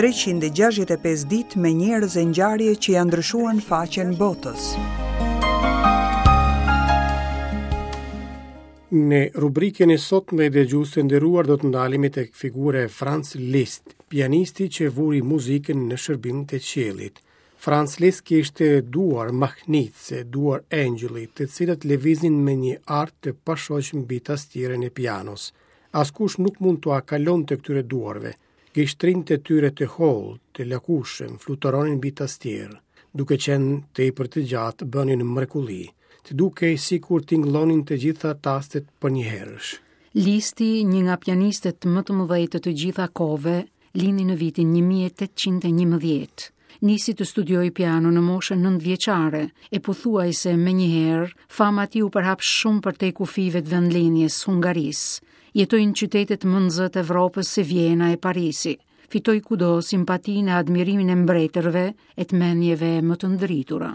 365 ditë me njerëz e ngjarje që ia ndryshuan faqen botës. Në rubrikën e sotme dëgjues të nderuar do të ndalemi tek figura e Franz Liszt, pianisti që vuri muzikën në shërbim të qiellit. Franz Liszt kishte duar mahnitëse, duar engjëlli, të cilat lëviznin me një art të pashoq mbi tastierën e pianos. Askush nuk mund t'ua kalonte këtyre duarve. Gishtrinjtë e tyre të hollë, të lakushëm, fluturonin mbi tastierë. Duke qenë tepër të gjatë, bënin mrekulli. Të dukej sikur tingëllonin të gjitha tastet përnjëherësh. Listi, një nga pianistët më të mëdhenj të të gjitha kohëve, lindi në vitin 1811. Nisi të studiojë piano në moshën 9 vjeçare e pothuajse menjëherë fama e tij u përhap shumë përtej kufijve të vendlindjes Hungarisë. Jetoi në qytetet më në zë të Evropës si Vjena e Parisi. Fitoi kudo simpatinë e admirimin e mbretërve e të mendjeve më të ndritura.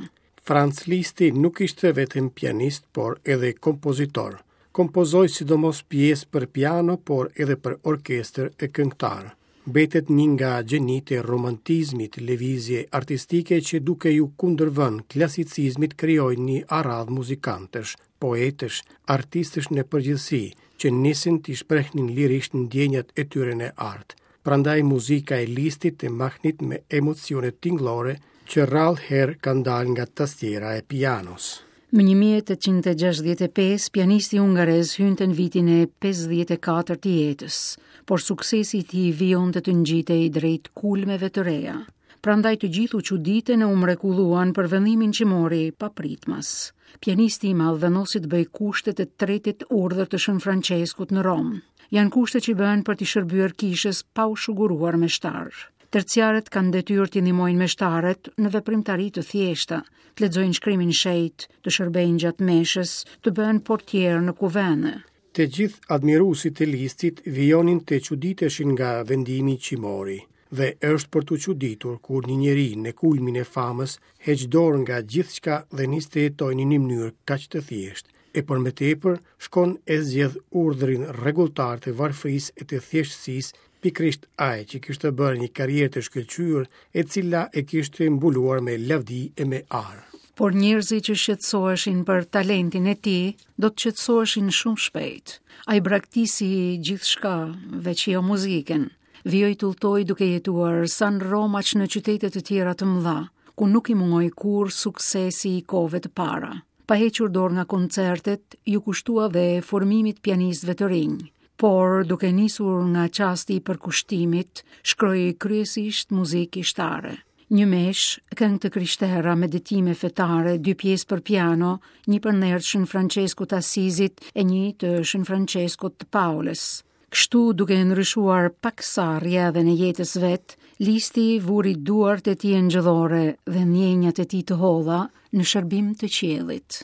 Franz Listi nuk ishte vetëm pianist, por edhe kompozitor. Kompozoi sidomos pjesë për piano, por edhe për orkestër e këngëtarë. Mbetet një nga gjenitë e romantizmit, lëvizje artistike që duke iu kundërvënë klasicizmit krijoi një aradhë muzikantësh, poetësh, artistësh në përgjithësi, që nisën t'i shprehnin lirisht ndjenjat e tyre në art. Prandaj muzika e Listit të mahnit me emocione tingëllore që rrallë herë kanë dalë nga tastiera e pianos. Më 1865, pianisti hungarez hynte në vitin e 54 të jetës, por suksesi i tij vijonte të ngjitej drejt kulmeve të reja. Prandaj të gjithë u çuditën e u mrekulluan për vendimin që mori papritmas. Pianisti i madh vendosi të bëjë kushtet e tretit urdhër të Shën Françeskut në Romë. Janë kushte që bëhen për t'i shërbyer kishës pa u shuguruar meshtar. Terciarët kanë detyrë t'i ndihmojnë meshtarët në veprimtari të thjeshta, të lexojnë shkrimin e shenjtë, të shërbejnë gjatë meshës, të bëhen portierë në kuvende. Të gjithë admiruesit e Listit vijonin të çuditeshin nga vendimi që mori. Dhe është për t'u çuditur kur një njeri në kulmin e famës heq dorë nga gjithçka dhe nis të jetojë në një mënyrë kaq të thjeshtë, e për më tepër shkon e zgjedh urdhrin rregulltar të varfërisë e të thjeshtësisë, pikërisht ai që kishte bërë një karrierë të shkëlqyer, e cila e kishte mbuluar me lavdi e me ar. Por njerëzit që shqetësoheshin për talentin e tij, do të qetësoheshin shumë shpejt. Ai braktisi gjithçka, veç jo muzikën. Vijoi të udhëtojë duke jetuar sa në Romë aq në qytete të tjera të mëdha, ku nuk i mungoi kurrë suksesi i kohëve të para. Pa hequr dorë nga koncertet, iu kushtua dhe formimit të pianistëve të rinj. Por, duke nisur nga çasti i përkushtimit, shkroi kryesisht muzikë kishtare. Një meshë, këngë të krishtera, meditime fetare, dy pjesë për piano, një për nder të Shën Françeskut të Asizit e një të Shën Françeskut të Paulës. Kështu, duke e ndryshuar paksa rrjedhën e jetës vet, Listi vuri duart e tij engjëllore dhe ndjenjat e tij të holla në shërbim të qiellit.